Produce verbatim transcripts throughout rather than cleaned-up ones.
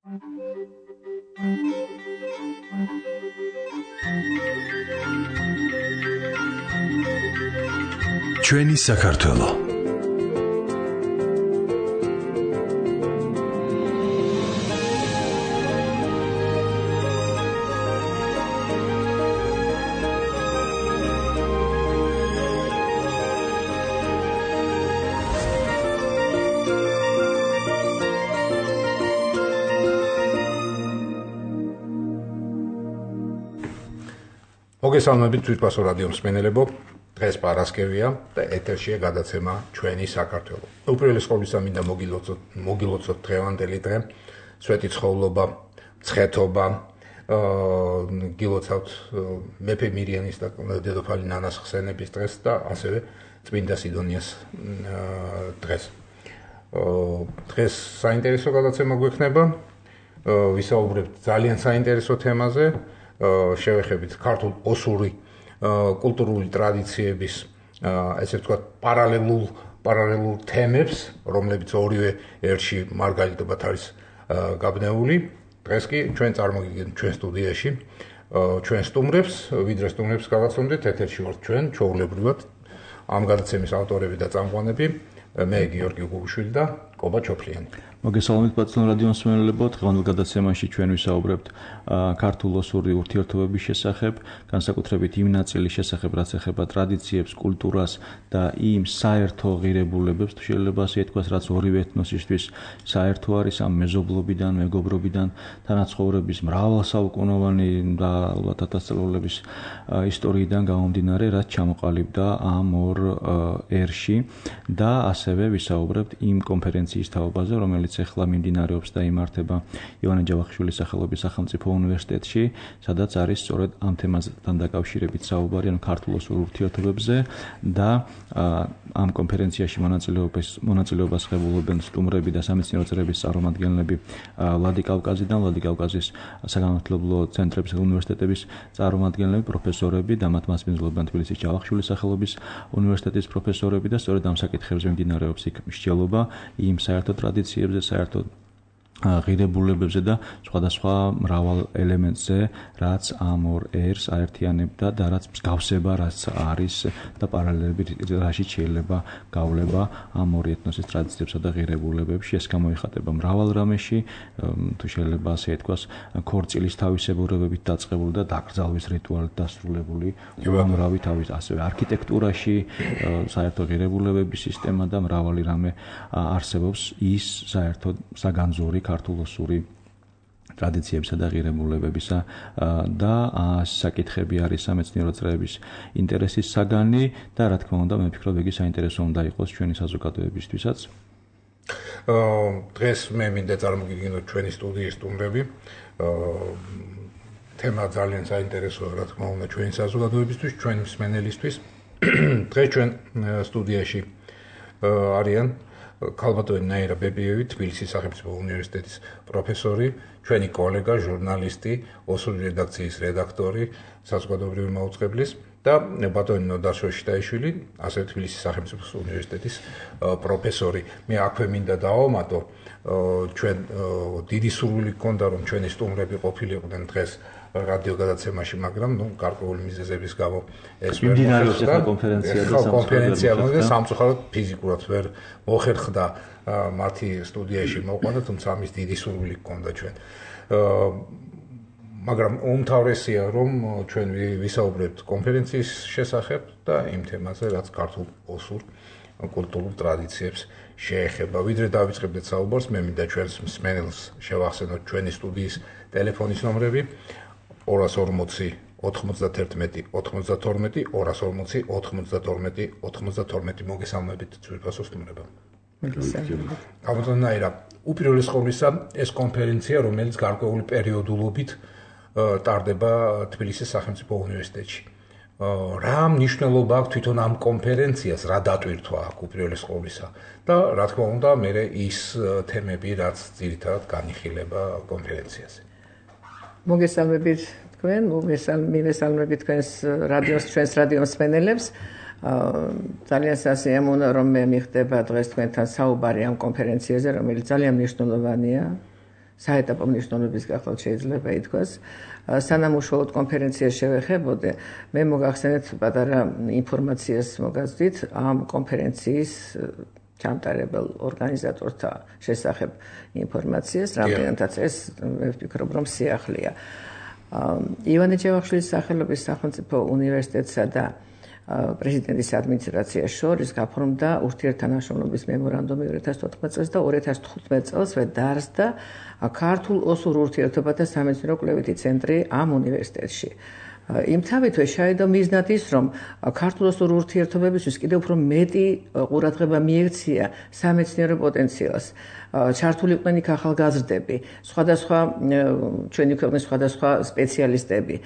ჩვენი საქართველო. მოგესალმებით თვითფასო რადიო მსმენელებო. დღეს პარასკევია და ეთერშია გადაცემა ჩვენი საქართველო. უპირველეს ყოვლისა მინდა მოგილოცოთ მოგილოცოთ დღევანდელი დღე, სვეტი ცხოვრობა, ცხეთობა, გილოცავთ მეფე მირიანის და დედოფალი ნანას ხსენების დღეს და ასევე წმინდა სიდონიას დღეს. დღეს საინტერესო გადაცემა გვექნება, ვისაუბრებთ ძალიან საინტერესო თემაზე, შევეხებით ქართულ ოსური კულტურული ტრადიციების, ესე ვთქვათ, პარალელურ პარალელურ თემებს, რომლებიც ორივე ერთში მარგალიტებად არის გაბნეული. დღეს კი ჩვენ წარმოგიდგენთ ჩვენ სტუდიაში ჩვენ სტუმრებს, ვიდრე სტუმრებს გავაცნობდით, ეთერში ვართ ჩვენ, ჩვეულებრივად, ამ გადაცემის ავტორები და წამყვანები, მე გიორგი გუგუშვილი და კობა ჩოფლიანი. მოგესალმებით პატიო რადიო მსმენელებო, დღევანდელ გადაცემაში ჩვენ ვისაუბრებთ ქართულ-ოსური ურთიერთობების შესახებ, განსაკუთრებით იმ ნაწილის შესახებ, რაც ეხება ტრადიციებს, კულტურას და იმ საერთო ღირებულებებს, თუ შეიძლება ასე ითქვას, რაც ორივე ეთნოსისთვის საერთო არის, ამ მეზობლობიდან, მეგობრობიდან, თანაცხოვრების მრავალსაუკუნოვანი და ალბათ ათასწლეულების ისტორიიდან გამომდინარე, რაც ჩამოყალიბდა ამ ორ ერში და ასევე ვისაუბრებთ იმ კონფერენციის თაობაზე, რომელიც ეხლა მიმდინარეობს და იმართება ივანე ჯავახიშვილის სახელობის სახელმწიფო უნივერსიტეტში, სადაც არის სწორედ ამ თემასთან დაკავშირებით საუბარი, ანუ ქართულ-ოსურ ურთიერთობებზე და ამ კონფერენციაში მონაწილეობას მონაწილეობას ღებულობენ სტუმრები და სამეცნიერო წრეების წარმომადგენლები ვლადიკავკაზიდან, ვლადიკავკაზის საგანმანათლებლო ცენტრების და უნივერსიტეტების წარმომადგენლები, პროფესორები და მათ მასპინძლობენ თბილისის ჯავახიშვილის სახელობის უნივერსიტეტის პროფესორები და სწორედ ამ საკითხებზე მიმდინარეობს იქ მსჯელობა იმ საერთო ტრადიციებზე, საერთოდ ღირებულებებზე და სხვადასხვა მრავალ ელემენტზე, რაც ამ ორ ერს აერთიანებდა და რაც მსგავსება, რაც არის და პარალელები რაშიც შეიძლება გავლება ამ ორი ეთნოსის ტრადიციებსა და ღირებულებებში. ეს გამოიხატება მრავალ რამეში, თუ შეიძლება ასე ითქვას, ქორწილის თავისებურებებით დაწყებული და დაკრძალვის რიტუალით დასრულებული, უამრავი თავის ასევე არქიტექტურაში, საერთო ღირებულებების სისტემა და მრავალი რამე არსებობს ის საერთოდ საგანძური ქართულ-ოსური ტრადიციებსა და ღირებულებებისა და საკითხები არის სამეცნიერო წრეების ინტერესის საგანი და რა თქმა უნდა, მე ვფიქრობ, იგი საინტერესო უნდა იყოს ჩვენი საზოგადოებისთვისაც. დღეს მე მინდა წარმოგიდგინოთ ჩვენი სტუდიის სტუმრები. თემა ძალიან საინტერესოა, რა თქმა უნდა, ჩვენი საზოგადოებისთვის, ჩვენი მსმენელისთვის. დღეს ჩვენ სტუდიაში არიან ქალბატონი ნაირა ბებიევი, თბილისის სახელმწიფო უნივერსიტეტის პროფესორი, ჩვენი კოლეგა, ჟურნალისტი, ოსური რედაქციის რედაქტორი, საზოგადოებრივი მაუწყებლის და ბატონი ნოდარ შოშიტაიშვილი, ასევე თბილისის სახელმწიფო უნივერსიტეტის პროფესორი. მე აქვე მინდა დავამატო, ჩვენ დიდი სურვილი გქონდა, რომ ჩვენი სტუმრები ყოფილიყვნენ დღეს რადიო გადაცემაში, მაგრამ ნუ გარკვეული მიზეზების გამო ეს ვერ მოხერხდა კონფერენცია და კონფერენცია და სამწუხაროდ ფიზიკურად ვერ მოხერხდა მათი სტუდიაში მოყვანა, თუმცა ამის დიდი სურვილი გქონდა ჩვენ. მაგრამ უმთავრესია, რომ ჩვენ ვისაუბრებთ კონფერენციის შესახებ და იმ თემაზე, რაც ქართულ ოსურ კულტურულ ტრადიციებს შეეხება. ვიდრე დავიწყებდეთ საუბარს, მე მინდა ჩვენს მსმენელს შევახსენოთ ჩვენი სტუდიის ტელეფონის ნომრები ორას ორმოცი ოთხმოცდათერთმეტი ოცდათორმეტი ორას ორმოცი ოთხმოცდათორმეტი ოცდათორმეტი. მოგესალმებით თვითფასო სტუმრებო. მოგესალმებით. გამოდანაირა, უპირველეს ყოვლისა, ეს კონფერენცია, რომელიც გარკვეული პერიოდულობით ტარდება თბილისის სახელმწიფო უნივერსიტეტში. რა მნიშვნელობა აქვს თვითონ ამ კონფერენციას, რა დატვირთვა აქვს უპირველეს ყოვლისა და რა თქმა უნდა, მე ის თემები, რაც ძირითადად განიხილება კონფერენციაზე. მოგესალმებით თქვენ, მოგესალმებით თქვენს რადიოს, ჩვენს რადიო მსმენელებს. ძალიან სასიამოვნოა, რომ მე მიხდება დღეს თქვენთან საუბარი ამ კონფერენციაზე, რომელიც ძალიან მნიშვნელოვანია საეტაპო მნიშვნელობის გახლავთ შეიძლება ითქვას. სანამ უშუალოდ კონფერენციას შევეხებოდე, მე მოგახსენეთ პატარა ინფორმაციას მოგაზრდით ამ კონფერენციის ჩამტარებელ ორგანიზატორთა შესახებ ინფორმაციას, რამდენადაც ეს მე ვფიქრობ, რომ სიახლეა. ივანე ჯავახიშვილის სახელობის სახელმწიფო უნივერსიტეტსა და პრეზიდენტის ადმინისტრაციას შორის გაფორმდა ურთიერთთანამშრომლობის მემორანდუმი ორი ათას თოთხმეტ წელს და ორი ათას თხუთმეტ წელსვე დაარსდა ქართულ ოსურ ურთიერთობათა სამეცნიერო კვლევითი ცენტრი ამ უნივერსიტეტში. იმთავითვე შაიდო მიზნად ის, რომ ქართულ ოსურ ურთიერთობებისთვის კიდევ უფრო მეტი ყურადღება მიექცია სამეცნიერო პოტენციალს. ჩართული იყვნენ იქ ახალგაზრდები, სხვადასხვა ჩვენი ქვეყნის სხვადასხვა სპეციალისტები,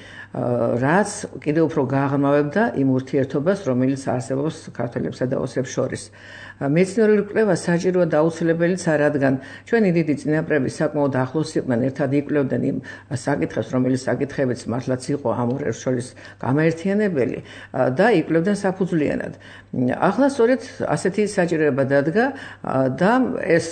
რაც კიდევ უფრო გააღრმავებდა იმ ურთიერთობას, რომელიც არსებობს ქართველებსა და ოსებს შორის. მეცნიერული კვლევა საჭიროა და აუცილებელიც არა, რადგან ჩვენი დიდი წინაპრები საკმაოდ ახლოს იყვნენ, ერთად იკვლევდნენ იმ საკითხებს, რომელიც საკითხებიც მართლაც იყო ამ ორ ერს შორის გამაერთიანებელი და იკვლევდნენ საფუძვლიანად. ახლა სწორედ ასეთი საჭიროება დადგა და ეს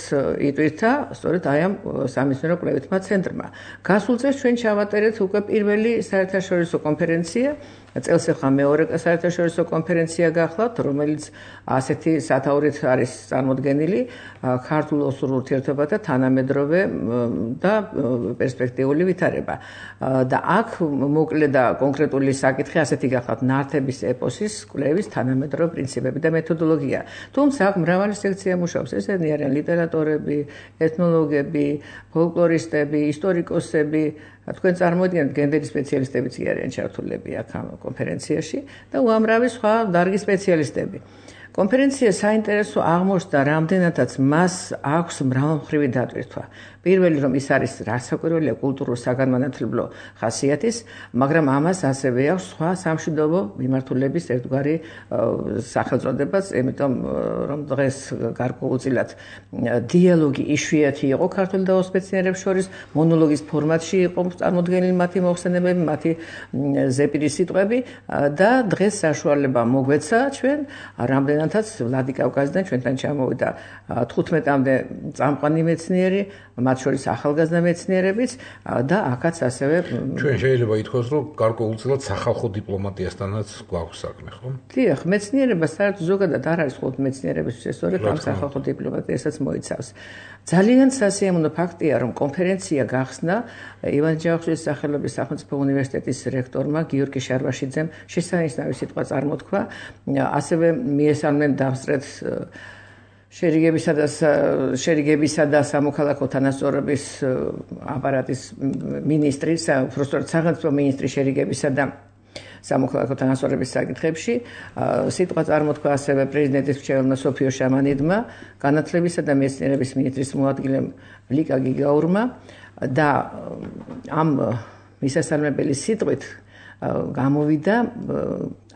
იტვირთა სწორედ აი ამ სამეცნიერო კვლევითმა ცენტრმა. გასულ წელს ჩვენ ჩავატარეთ უკვე პირველი საერთაშორისო კონფერენცია, წელს ახლა მეორე საერთაშორისო კონფერენცია გახლავთ, რომელიც ასეთი სათაურით არის წარმოდგენილი ქართულ ოსურ ურთიერთობათა თანამედროვე და პერსპექტიული ვითარება. და აქ მოკლე და კონკრეტული საკითხი ასეთი გახლავთ ნართების ეპოსის კვლევის თანამედროვე პრინციპები და მეთოდოლოგია. თუმცა აქ მრავალი სექცია მუშაობს. ესენი არიან ლიტერატორები, ეთნოლოგები, ფოლკლორისტები, ისტორიკოსები, თქვენ წარმოიდგინეთ გენდერის სპეციალისტებიც კი არიან ჩართულები აქ ამ კონფერენციაში და უამრავი სხვა დარგის სპეციალისტები. კონფერენცია საინტერესო აღმოჩნდა, რამდენადაც მას აქვს მრავალმხრივი დატვირთვა. პირველი რომ ის არის რასაკვირველია კულტურულ საგანმანათლებლო ხასიათის, მაგრამ ამას ასევე აქვს სხვა სამშვიდობო მიმართულების ერთგვარი სახელწოდებაც, იმიტომ რომ დღეს გარკვეულწილად დიალოგი იშვიათი იყო ქართულ და ოსურ მეცნიერებს შორის, მონოლოგის ფორმატში იყო წარმოდგენილი მათი მოხსენებები, მათი ზეპირი სიტყვები და დღეს საშუალება მოგვეცა ჩვენ რამდენადაც ვლადი კავკასიდან ჩვენთან ჩამოვიდა თხუთმეტამდე წამux მეცნიერი, მათ შორის ახალგაზრდა მეცნიერებიც და აქაც ასევე ჩვენ შეიძლება ითქვას, რომ გარკვეულწილად სახალხო დიპლომატიასთანაც გვაქვს საქმე, ხო? დიახ, მეცნიერება საერთოდ ზოგადად არ არის მხოლოდ მეცნიერებისთვის, სწორედ ამ სახალხო დიპლომატიასაც მოიცავს. ძალიან სასიამოვნო ფაქტია, რომ კონფერენცია გახსნა ივანე ჯავახიშვილის სახელობის სახელმწიფო უნივერსიტეტის რექტორმა გიორგი შარვაშიძემ შესანიშნავი სიტყვა წარმოთქვა, ასევე მიესალმნენ დამსწრეთ შერიგებისა და შერიგებისა და სამოქალაქო თანასწორობის აპარატის მინისტრი, უბრალოდ სახელმწიფო მინისტრი შერიგებისა და სამოქალაქო თანასწორობის საკითხებში. სიტყვა წარმოთქვა ასევე პრეზიდენტის მრჩეველმა სოფიო შამანიდმა, განათლებისა და მეცნიერების მინისტრის მოადგილემ ლიკა გიგაურმა და ამ მისასალმებელი სიტყვით გამოვიდა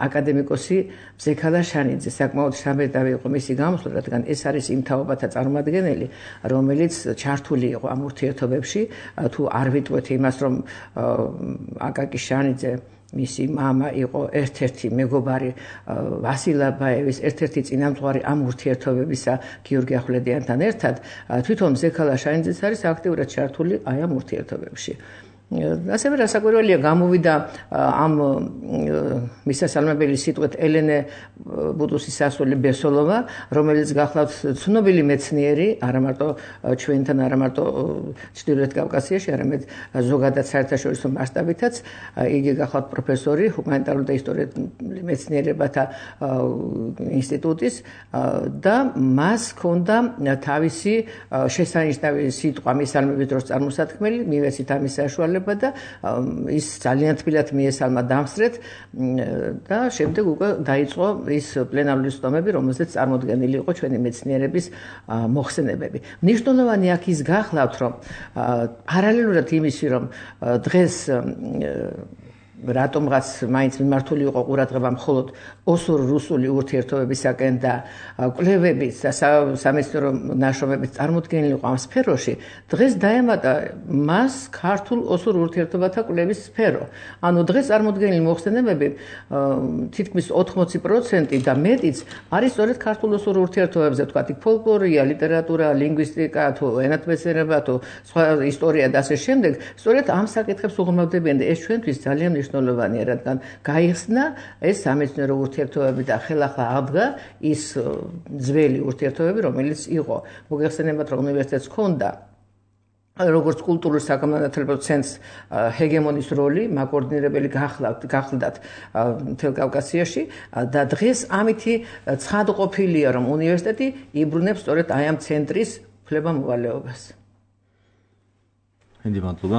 აკადემიკოსი მზექალა შანიძე. საკმაოდ სამედავი იყო მისი გამოსვლა, რადგან ეს არის იმ თაობათა წარმომადგენელი, რომელიც ჩართული იყო ამ ურთიერთობებში. თუ არ ვიტყვეთ იმას, რომ აკაკი შანიძე მისი მამა იყო ერთ-ერთი მეგობარი ვასილ აბაევის, ერთ-ერთი წინამძღვარი ამ ურთიერთობებისა გიორგი ახვლედიანთან ერთად, თვითონ მზექალა შანიძეც არის აქტიურად ჩართული აი ამ ურთიერთობებში. ასევე რასაკვირველია, გამოვიდა ამ მისასალმებელი სიტყვით ელენე ბუდუსის ასული ბესოლოვა, რომელიც გახლავთ ცნობილი მეცნიერი, არა მარტო ჩვენთან, არა მარტო ჩრდილოეთ კავკასიაში, არამედ ზოგადად საერთაშორისო მასშტაბითაც. იგი გახლავთ პროფესორი ჰუმანიტარული და ისტორიული მეცნიერებათა ინსტიტუტის და მას ჰქონდა თავისი შესანიშნავი სიტყვა მისალმების დროს წარმოსათქმელი, მივეცით ამის საშუალება და ის ძალიან თბილად მიესალმა დამსწრეთ და შემდეგ უკვე დაიწყო ის პლენარული სტომები, რომელზეც წარმოდგენილი იყო ჩვენი მეცნიერების მოხსენებები. მნიშვნელოვანი აქ ის გახლავთ, რომ პარალელურად იმისი, რომ დღეს რატომღაც მაინც მიმართული იყო ყურადღება მხოლოდ ოსურ-რუსული ურთიერთობებისაკენ და კვლევების და სამეცნიერო ნაშრომების წარმოდგენილი იყო ამ სფეროში, დღეს დაემატა მას ქართულ ოსურ ურთიერთობათა კვლევის სფერო. ანუ დღეს წარმოდგენილი მოხსენებები თითქმის ოთხმოცი პროცენტი და მეტიც არის სწორედ ქართულ ოსურ ურთიერთობებზე, თქვათ, ფოლკლორია, ლიტერატურა, ლინგვისტიკა, თუ ენათმეცნიერება, თუ სხვა ისტორია და ასე შემდეგ, სწორედ ამ საკითხებს უღრმავდებიან და ეს ჩვენთვის ძალიან მნიშვნელოვანია, რადგან გაიხსნა ეს სამეცნიერო ურთიერთობები და ხელახლა აღდგა ის ძველი ურთიერთობები, რომელიც იყო. მოგეხსენებათ, რომ უნივერსიტეტს ჰქონდა როგორც კულტურულ საგანმანათლებლო ცენტრს ჰეგემონის როლი, მაკოორდინირებელი გახლდათ მთელ კავკასიაში და დღეს ამითი ცხადყოფილია, რომ უნივერსიტეტი იბრუნებს სწორედ აი ამ ცენტრის უფლება-მოვალეობას. დიდი მადლობა.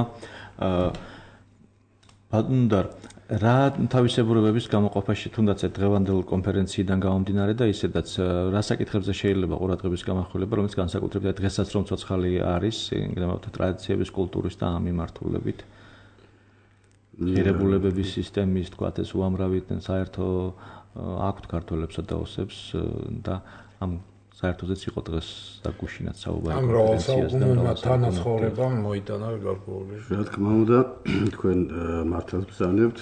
ბატონდარ, რა თავისებურებების გამოყოფაში თუნდაც დღევანდელ კონფერენციიდან გამომდინარე და ისედაც რა საკითხებზე შეიძლება ყურადღების გამახვილება, რომელიც განსაკუთრებით დღესაც რომ ცოცხალი არის, იმგრამავთ ტრადიციების, კულტურის და ამ მიმართულებით. ღირებულებების სისტემის, თქვათ, ეს უამრავი საერთო აქვთ ქართველებსა და ოსებს და ამ საერთოდაც იყო დღეს დაგუშინათ საუბარი კონფერენციას და თანაცხოვრება მოიტანა გარკვეული. რა თქმა უნდა, თქვენ მართლაც ბრძანებთ,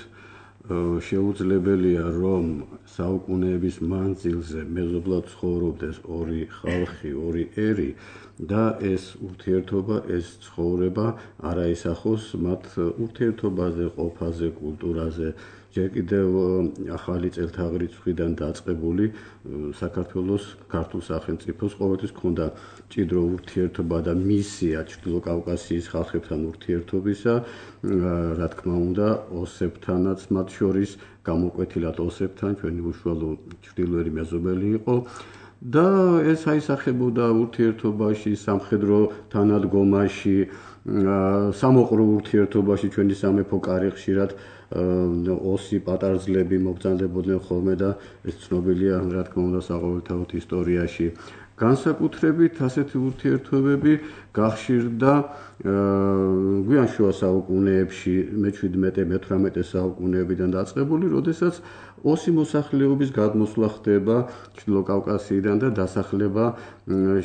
შეუძლებელია რომ საუკუნეების მანძილზე მეზობლად ცხოვრობდეს ორი ხალხი, ორი ერი და ეს ურთიერთობა, ეს ცხოვრება არ აისახოს მათ ურთიერთობაზე, ყოფაზე, კულტურაზე. ჯერ კიდევ ახალი წელთაღრიცხვის მხრიდან დაწყებული საქართველოს ქართულ სახელმწიფოს ყოველთვის ჰქონდა მჭიდრო ურთიერთობა და მისია ჩრდილო კავკასიის ხალხებთან ურთიერთობისა, რა თქმა უნდა, ოსებთანაც მათ შორის გამოკვეთილად ოსებთან ჩვენი უშუალო ჩრდილოერი მეზობელი იყო. და ეს აისახებოდა ურთიერთობაში, სამხედრო თანადგომაში, სამოყრო ურთიერთობაში ჩვენი სამეფო კარი ხშირად ოსი პატარძლები მობრძანდებოდნენ ხოლმე და ეს ცნობილია, რა თქმა უნდა, საყოველთაოდ ისტორიაში. განსაკუთრებით ასეთი ურთიერთობები გახშირდა გვიან შუა საუკუნეებში, მეჩვიდმეტე მეთვრამეტე საუკუნეებიდან დაწყებული, როდესაც ოსი მოსახლეობის გადმოსვლა ხდება ჩრდილო კავკასიიდან და დასახლება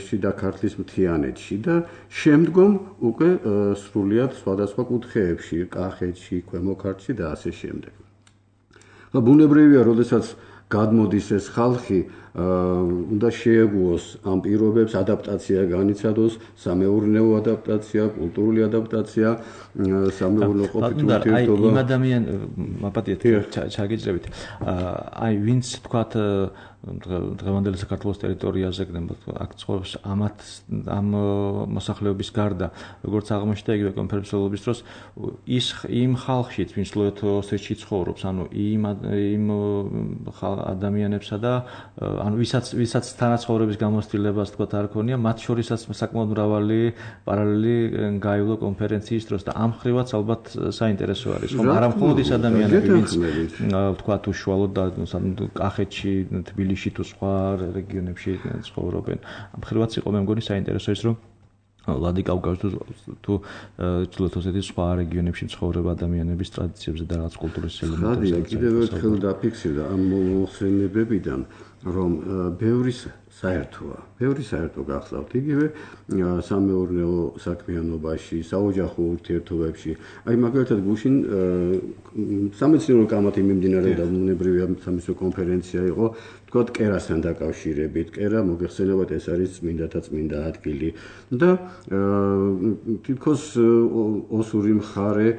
შიდა ქართლის მთიანეთში და შემდგომ უკვე სრულიად სხვადასხვა კუთხეებში, კახეთში, ქვემო ქართლში და ასე შემდეგ. ბუნებრივია, როდესაც გადმოდის ეს ხალხი, უნდა შეეგუოს ამ პირობებს, ადაპტაცია განიცადოს, სამეურნეო ადაპტაცია, კულტურული ადაპტაცია, სამეურნეო ყოფით ურთიერთობა. აი, იმ ადამიან მაპატიეთ ჩაგიჭრებით. აი, ვინც თქვათ დღევანდელი საქართველოს ტერიტორიაზე აქ ცხოვრობს ამათ ამ მოსახლეობის გარდა, როგორც აღმოჩნდა იგივე კონფერენციულობის დროს, ის იმ ხალხშიც, ვინც ლოეთოსეთში ცხოვრობს, ანუ იმ იმ ადამიანებსა და ანუ ვისაც ვისაც თანაცხოვრების გამოცდილებას თქვათ არ ქონია, მათ შორისაც საკმაოდ მრავალი პარალელი გაივლო კონფერენციის დროს და ამ ხრივაც ალბათ საინტერესო არის, ხომ? არა მხოლოდ ის ადამიანები, ვინც თქვათ უშუალოდ და კახეთში, თბილისში თუ სხვა რეგიონებში ცხოვრობენ. ამ ხრივაც იყო მე მგონი საინტერესო ის, რომ ვლადიკავკაზში თუ ჩრდილო-ოსეთის სხვა რეგიონებში მცხოვრებ ადამიანების ტრადიციებზე და რაღაც კულტურის ელემენტებზე. კიდევ ერთხელ დაფიქსირდა ამ მოხსენებებიდან, რომ ბევრი საერთოა, ბევრი საერთო გახსოვთ, იგივე სამეურნეო საქმიანობაში, საოჯახო ურთიერთობებში. აი მაგალითად გუშინ სამეცნიერო კამათი მიმდინარეობდა, ბუნებრივია სამეცნიერო კონფერენცია იყო, თქვათ კერასთან დაკავშირებით. კერა მოგეხსენებათ, ეს არის წმინდათა წმინდა ადგილი და თითქოს ოსური მხარე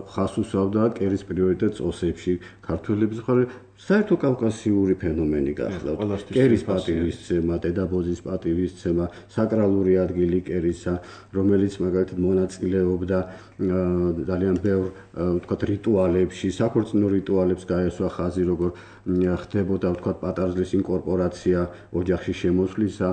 ხაზს უსვამდა კერის პრიორიტეტს ოსებში, ქართველების მხარე საერთო კავკასიური ფენომენი გახლავთ. კერის პატივისცემა, დედაბოძის პატივისცემა, საკრალური ადგილი კერისა, რომელიც მაგალითად მონაწილეობდა ძალიან ბევრ ვთქვათ რიტუალებში, საქორწინო რიტუალებს გაესვა ხაზი, როგორ ხდებოდა ვთქვათ პატარძლის ინკორპორაცია ოჯახში შემოსვლისა.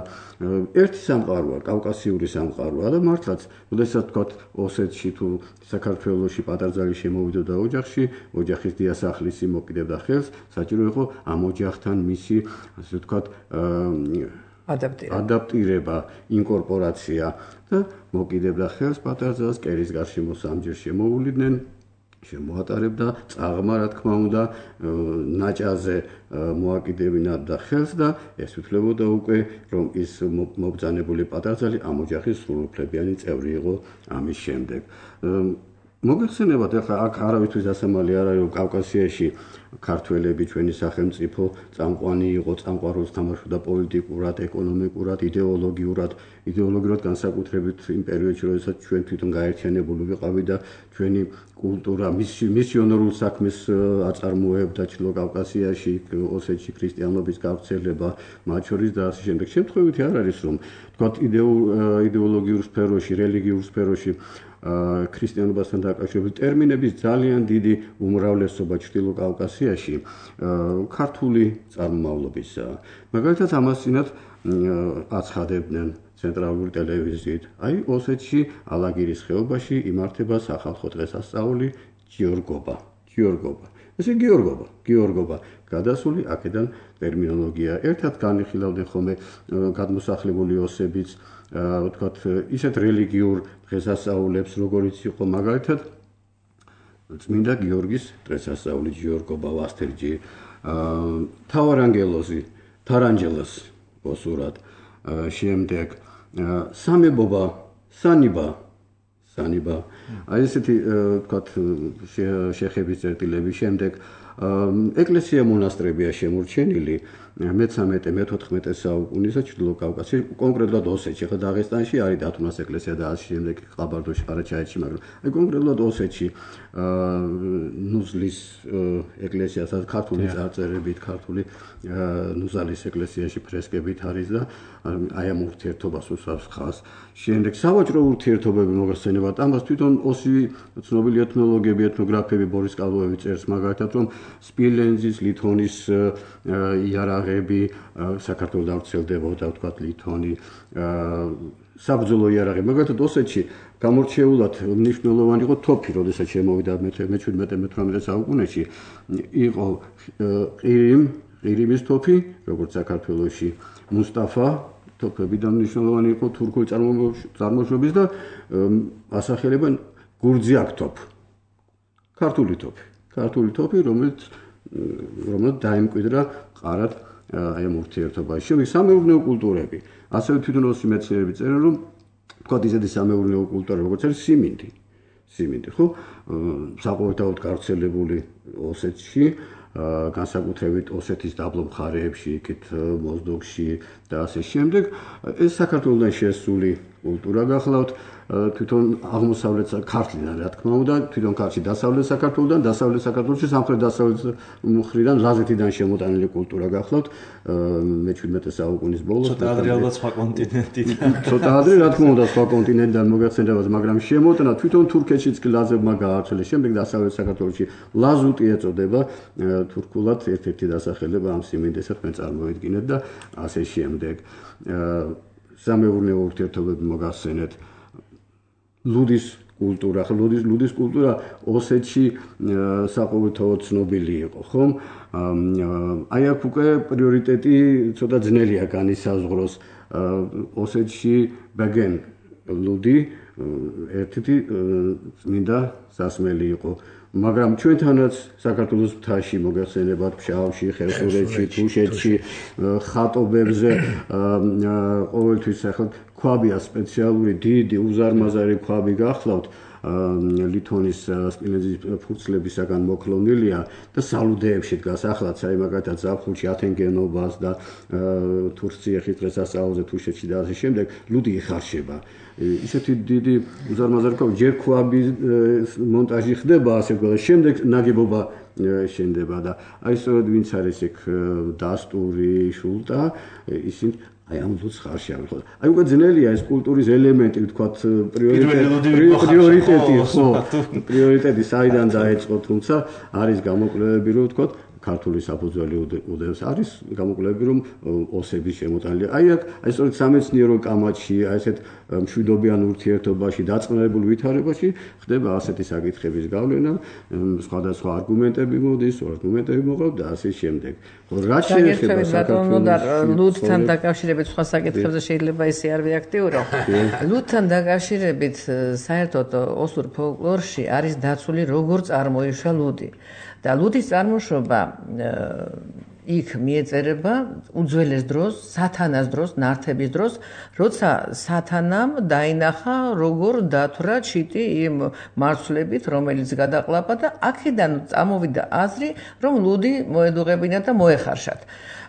ერთი სამყაროა, კავკასიური სამყაროა და მართლაც, როდესაც ვთქვათ ოსეთში თუ საქართველოში პატარძალი შემოვიდოდა ოჯახში, ოჯახის დიასახლისი მოკიდებდა ხელს, საჭირო იყო ამ ოჯახთან მისი, ასე ვთქვათ, ადაპტირება, ადაპტირება, ინკორპორაცია და მოკიდებდა ხელს პატარძალს, კერის გარშემო სამჯერ შემოუვლიდნენ. შემოატარებდა, წაღმა რა თქმა უნდა, ნაჭაზე მოაკიდებინა და ხელს და ეს უთვლებოდა უკვე, რომ ის მობრძანებული პატარძალი ამ ოჯახის სრულუფლებიანი წევრი იყო ამის შემდეგ. მოგეხსენებათ, ახლა აქ არავისთვის დასამალი არ არის, რომ კავკასიაში ქართველები ჩვენი სახელმწიფო წამყვანი იყო, წამყვან როლს თამაშობდა პოლიტიკურად, ეკონომიკურად, იდეოლოგიურად, იდეოლოგიურად განსაკუთრებით იმ პერიოდში, როდესაც ჩვენ თვითონ გაერთიანებული ვიყავით და ჩვენი კულტურა მისიონერულ საქმეს აწარმოებდა ჩრდილო კავკასიაში, ოსეთში ქრისტიანობის გავრცელება, მათ შორის და ასე შემდეგ. შემთხვევითი არ არის, რომ თქვათ იდეოლოგიურ სფეროში, რელიგიურ სფეროში ქრისტიანობასთან დაკავშირებით ტერმინების ძალიან დიდი უმრავლესობა ჩრდილო კავკასიაში ქართული წარმომავლობისაა. მაგალითად ამასწინათ აცხადებდნენ ცენტრალური ტელევიზიით. აი ოსეთში ალაგირის ხეობაში იმართება სახალხო დღესასწაული გიორგობა. გიორგობა. ესე გიორგობა, გიორგობა. გადასული აქედან ტერმინოლოგია. ერთად განიხილავდნენ ხოლმე გადმოსახლებული ოსებიც ვთქვათ, ისეთ რელიგიურ დღესასწაულებს, როგორიც იყო მაგალითად წმინდა გიორგის დღესასწაული გიორგობა ვასთერჯი, თავარანგელოზი, თარანჯელოს ოსურად, შემდეგ სამებობა, სანიბა, სანიბა. აი ესეთი ვთქვათ შეხების წერტილები, შემდეგ ეკლესია მონასტრებია შემორჩენილი მეთერთმეტე მეთოთხმეტე საუკუნისა ჩრდილო კავკასიაში, კონკრეტულად ოსეთში, ხო დაღესტანში არის დათუნას ეკლესია და ასე შემდეგ ყაბარდოში, ყარაჩაეთში, მაგრამ აი კონკრეტულად ოსეთში ნუზლის ეკლესია, სადაც ქართული წარწერებით, ქართული ნუზალის ეკლესიაში ფრესკებით არის და აი ამ ურთიერთობას უსვამს ხაზს. შემდეგ სავაჭრო ურთიერთობები მოგახსენებათ, ამას თვითონ ოსი ცნობილი ეთნოლოგები, ეთნოგრაფები ბორის კალოევი წერს მაგალითად, რომ სპილენძის, ლითონის იარაღები საქართველოს დავრცელდებოდა, ვთქვათ, ლითონი, საბრძოლო იარაღები. მაგალითად ოსეთში გამორჩეულად მნიშვნელოვანი იყო თოფი, როდესაც შემოვიდა მეჩვიდმეტე მეთვრამეტე საუკუნეში, იყო ყირიმ, ყირიმის თოფი, როგორც საქართველოში, მუსტაფა თოფებიდან მნიშვნელოვანი იყო თურქული წარმოშობის და ასახელებენ გურძიაკ თოფ. ქართული თოფი. ქართული თოფი, რომელიც რომელიც დაიმკვიდრა ყარად აი ამ ურთიერთობაში. შემდეგ სამეურნეო კულტურები. ასევე თვითონ ოსი მეცნიერები წერენ, რომ თქვათ ისეთი სამეურნეო კულტურა, როგორც არის სიმინდი. სიმინდი, ხო? საყოველთაოდ გავრცელებული ოსეთში, განსაკუთრებით ოსეთის დაბლობ მხარეებში, იქით მოზდოგში და ასე შემდეგ. ეს საქართველოსთან შესული კულტურა გახლავთ. თვითონ აღმოსავლეთ ქართლიდან, რა თქმა უნდა, თვითონ ქართლში დასავლეთ საქართველოსთან, დასავლეთ საქართველოში სამხრეთ დასავლეთ მხრიდან, ლაზეთიდან შემოტანილი კულტურა გახლავთ. მეჩვიდმეტე საუკუნის ბოლოს. ცოტა ადრე ალბათ სხვა კონტინენტიდან. ცოტა ადრე, რა თქმა უნდა, სხვა კონტინენტიდან მოგახსენებათ, მაგრამ შემოტანა თვითონ თურქეთშიც კი ლაზებმა გაავრცელეს. შემდეგ დასავლეთ საქართველოში ლაზუტი ეწოდება თურქულად ერთ-ერთი დასახელება ამ სიმინდესაც მე წარმოედგინეთ და ასე შემდეგ. სამეურნეო ურთიერთობები მოგახსენეთ. ლუდის კულტურა, ხო ლუდის ლუდის კულტურა ოსეთში საყოველთაოდ ცნობილი იყო, ხო? აი აქ უკვე პრიორიტეტი ცოტა ძნელია განისაზღვროს. ოსეთში ბეგენ ლუდი ერთ-ერთი წმინდა სასმელი იყო. მაგრამ ჩვენთანაც საქართველოს მთაში მოგახსენებათ ფშავში, ხევსურეთში, თუშეთში, ხატობებზე ყოველთვის ახლა ქვაბია სპეციალური დიდი უზარმაზარი ქვაბი გახლავთ ლითონის სპილენძის ფურცლებისაგან მოქლონილია და სალუდეებში დგას ახლა აი მაგალითად ზაფხულში ათენგენობას და თურქეთის დღესასწაულზე თუშეთში და ასე შემდეგ ლუდი იხარშება. ისეთი დიდი უზარმაზარი ქვაბი ჯერ ქვაბის მონტაჟი ხდება ასე ვთქვათ, შემდეგ ნაგებობა შენდება და აი სწორედ ვინც არის იქ დასტური, შულტა, ისინი აი ამ ლუდს ხარშავენ ხო. აი უკვე ძნელია ეს კულტურის ელემენტი, ვთქვათ, პრიორიტეტი, ხო, პრიორიტეტი საიდან დაეწყო, თუმცა არის გამოკვლევები, რომ ვთქვათ, ქართული საფუძველი უდევს არის გამოკვლევები რომ ოსების შემოტანილი აი აქ აი სწორედ სამეცნიერო კამათში აი ესეთ მშვიდობიან ურთიერთობაში დაწყნარებულ ვითარებაში ხდება ასეთი საკითხების გავლენა სხვადასხვა არგუმენტები მოდის არგუმენტები მოყავთ და ასე შემდეგ რაც შეეხება საქართველოს ლუდთან დაკავშირებით სხვა საკითხებზე შეიძლება ისე არ ვიაქტიურო ლუდთან დაკავშირებით საერთოდ ოსურ ფოლკლორში არის დაცული როგორ წარმოიშვა ლუდი და ლუდის წარმოშობა იქ მიეწერება უძველეს დროს, სათანას დროს, ნართების დროს, როცა სათანამ დაინახა როგორ დათვრა ჩიტი იმ მარცვლებით, რომელიც გადაყლაპა და აქედან წამოვიდა აზრი, რომ ლუდი მოედუღებინა და მოეხარშათ.